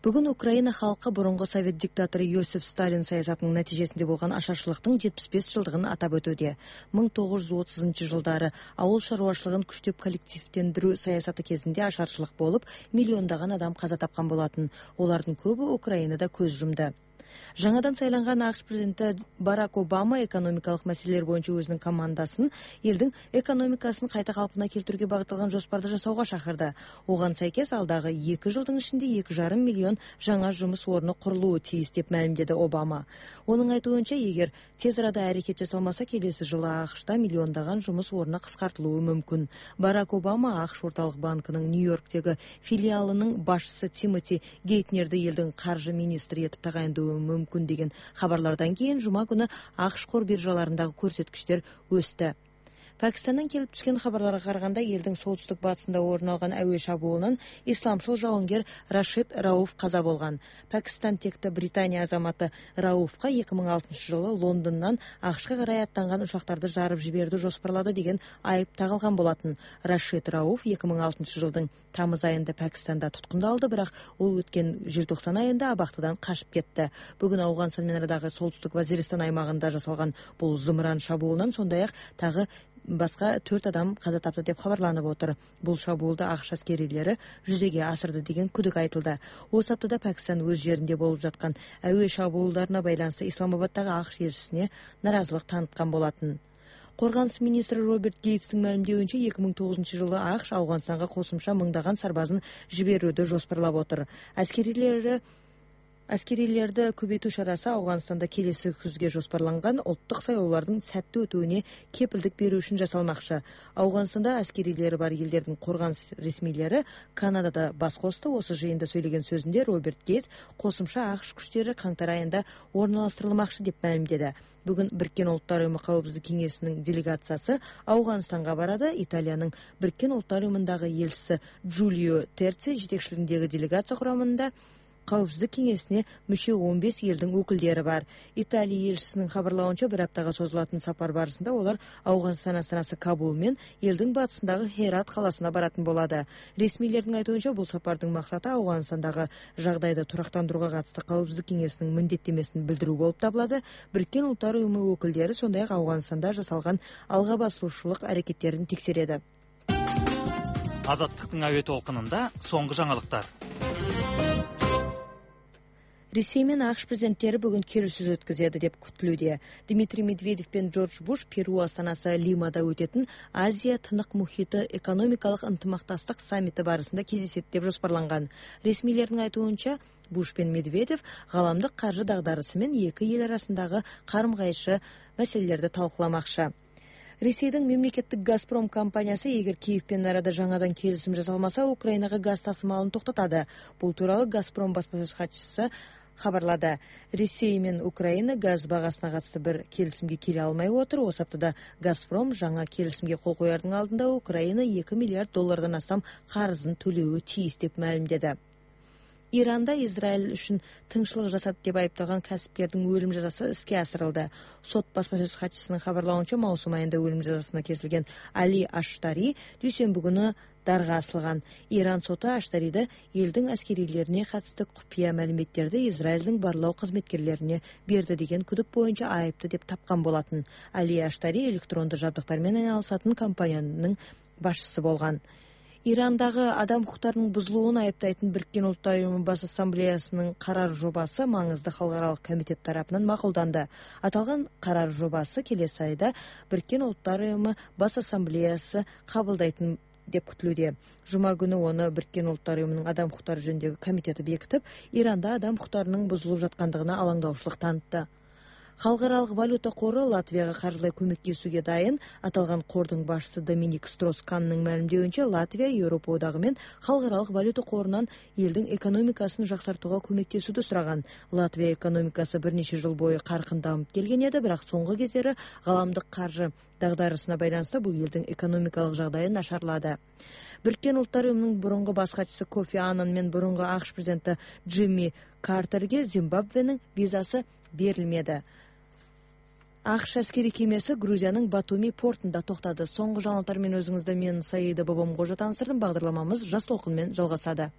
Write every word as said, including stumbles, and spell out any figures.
Бүгүн Украина халкы мурунку совет диктатору Йосиф Сталин саясатынын натыйжесинде болгон ашарчылыктын жетимиш беш жылдыгын атап өтүүдө. миң тогуз жүз отузунчу жылдары ауыл шаруашылыгын күчтөп коллективдендирүү саясаты кезинде ашарчылык болуп, миллиондогон адам каза тапкан болотун. Олардын көбү Украинада көз жумду. Жаңадан сайланган АКШ президенти Барак Обама экономикалык маселелер боюнча өзүнүн командасын элдин экономикасын кайта калпына келтирүүгө багытталган жоспарды жасауга чакырды. Оган сайкес алдагы эки жылдын ичинде эки жарым миллион жаңа жумуш орну курулуу тийиз деп маалимдеди Обама. Онун айтуунча, эгер тез арада аракет жасалмаса, келеси жылы АКШта миллиондогон жумуш орну кыскартылуу мүмкүн. Барак Обама АКШ орталык банкынын Нью-Йорктеги филиалынын башчысы Тимоти Гейтнерди элдин каржы министри этип тагайындоо мүмкүн деген хабарлардан кийин жума күнү АКШ кор биржаларындагы көрсөткүчтөр өстү. Пакистандан келип түшкөн хабарларга караганда, элдин солтүстүк батысында орун алган абий шабуулунан исламчыл жауынгер Рашид Рауф каза болгон. Пакистан текти Британия азаматы Рауфка эки миң алтынчы жылы Лондондон АКШка карай аттанган учактарды жарып жиберүүнү жоспарлады деген айып тагылган болотун. Рашид Рауф эки миң алтынчы жылдын тамыз айында Пакистанда туткундалды, бирок ол өткөн желтоқсан айында абактыдан качып кетти. Бүгүн Аугандстан менен арадагы солтүстүк Вазиристан аймагында жасалган бул зымыран шабуулунан сондай-ак тагы башка төрт адам каза тапты деп хабарланып отур. Бул шабуулду АКШ аскерилери жүзөгө асырды деген күдүк айтылды. Осы аптада Пакистан өз жеринде болуп жаткан абий шабуулдарына байланыштуу Исламабадтагы АКШ элчисине наразылык таныткан болотун. Коргонуш министри Роберт Гейтстин маалимдеуинче, эки миң тогузунчу жылы АКШ Ауганстанга кошумча мыңдаган сарбазын жиберүүдү жоспарлап отур. Аскерилери Аскерилерди көбөйтүү чарасы Ауганстанда келеси күзгө жоспарланган улуттук шайлоолордун сәттүү өтүүнү кепилдик берүү үчүн жасалмакчы. Ауганстанда аскерилери бар элдердин коргонуш ресмилери Канадада бас косду. Осы жыйында сөйлөгөн сөзүндө Роберт Гейтс кошумча АКШ күчтөрү каңтар айында орналаштырылмакчы деп маалимдеди. Бүгүн Бириккен Улуттар Уюму Коопсуздук кеңешинин делегациясы Ауганстанга барады. Италиянын Бириккен Улуттар Уюмундагы элчиси Джулио Терци жетекчилигиндеги делегация курамында Коопсуздук кеңесине мүчө он беш элдин өкүлдөрү бар. Италия элчисинин хабарлауынча, бир аптага созулатын сапар барысында олар Ауганстан астанасы Кабул менен элдин батысындагы Херат каласына баратын болду. Ресмийлердин айтуунча, бул сапардын максаты Ауганстандагы жагдайды турактандырууга катысты Коопсуздук кеңесинин міндеттемесин билдирүү болуп табылады. Бириккен Улуттар Уюму өкүлдөрү сондай-ак Ауганстанда жасалган алга басуучулук аракеттерин текшереді. Азаттыктын абий толкунунда соңку жаңылыктар. Ресей менен АКШ президенттери бүгүн келишүү өткөзөдү деп күтүлүүдө. Дмитрий Медведев пен Джордж Буш Перу астанасы Лимада өтөтүн Азия тынык мухиты экономикалык ынтымактастык саммити барысында кездешет деп жоспарланган. Ресмийлердин айтуунча, Буш пен Медведев галамдык каржы дагдарысы менен эки эл арасындагы карым-кайшы маселелерди талкууламакчы. Ресейдин мемлекеттик Газпром компаниясы эгер Киев менен арада жаңадан келишим жасалмаса, Украинага газ тасымалын токтотады. Бул тууралуу Газпром баспасөз катчысы хабарлады. Ресей менен Украина газ багасына катысты бир келишимге келе алмай отур. Осы аптада Газпром жаңа келишимге кол коярдын алдында Украина эки миллиард доллардан астам карызын төлөөгө тийиз деп маалимдеди. Иранда Израиль үчүн тынччылык жасады деп айыпталган касипкердин өлүм жазасы иске асырылды. Сот баспасөз катчысынын хабарлауынча, маусум айында өлүм жазасына кесилген Али Аштари дүйшөмбү күнү дарга асылган. Иран соту Аштариди элдин аскерилерине катысты купуя маалиметтерди Израилдин барлоо кызметкерлерине берди деген күдүк боюнча айыпты деп тапкан болотун. Али Аштари электрондуу жабдыктар менен айналышатын компаниянын башчысы болгон. Ирандагы адам укуктарынын бузулуун айыптайтын Бириккен Улуттар Уюму Бас Ассамблеясынын карар жобасы маңызды халыкаралык комитет тарапынан макулданды. Аталган карар жобасы келеси айда Бириккен Улуттар Уюму Бас Ассамблеясы кабылдайтын деп күтүлүүдө. Жума күнү оны Бириккен Улуттар Уюмунун адам укуктары жөнүндөгү комитети бекитип, Иранда адам укуктарынын бузулуп жаткандыгына алаңдаушылык танытты. Халыкаралык валюта кору Латвияга каржылай көмөктөшүүгө дайын. Аталган кордун башчысы Доминик Стросканнын маалимдеуинче, Латвия Европа одагы менен халыкаралык валюта корунан элдин экономикасын жакшыртууга көмөктөшүүдү сураган. Латвия экономикасы бир нече жыл бою каркынданып келген эди, бирок соңку кездери галамдык каржы дагдарысына байланыштуу бул элдин экономикалык жагдайы нашарлады. Бириккен Улуттар Уюмунун мурунку баш катчысы Кофи Аннан менен мурунку АКШ президенти Джимми Картерге Зимбабвенин визасы берилмеди. АКШ аскери кемеси Грузиянын Батуми портунда токтады. Соңку жаңылыктар менен өзүңүздө мен Саида Бобомгожо таанышдырдым. Багдарламамыз Жас толкун менен жалгасады.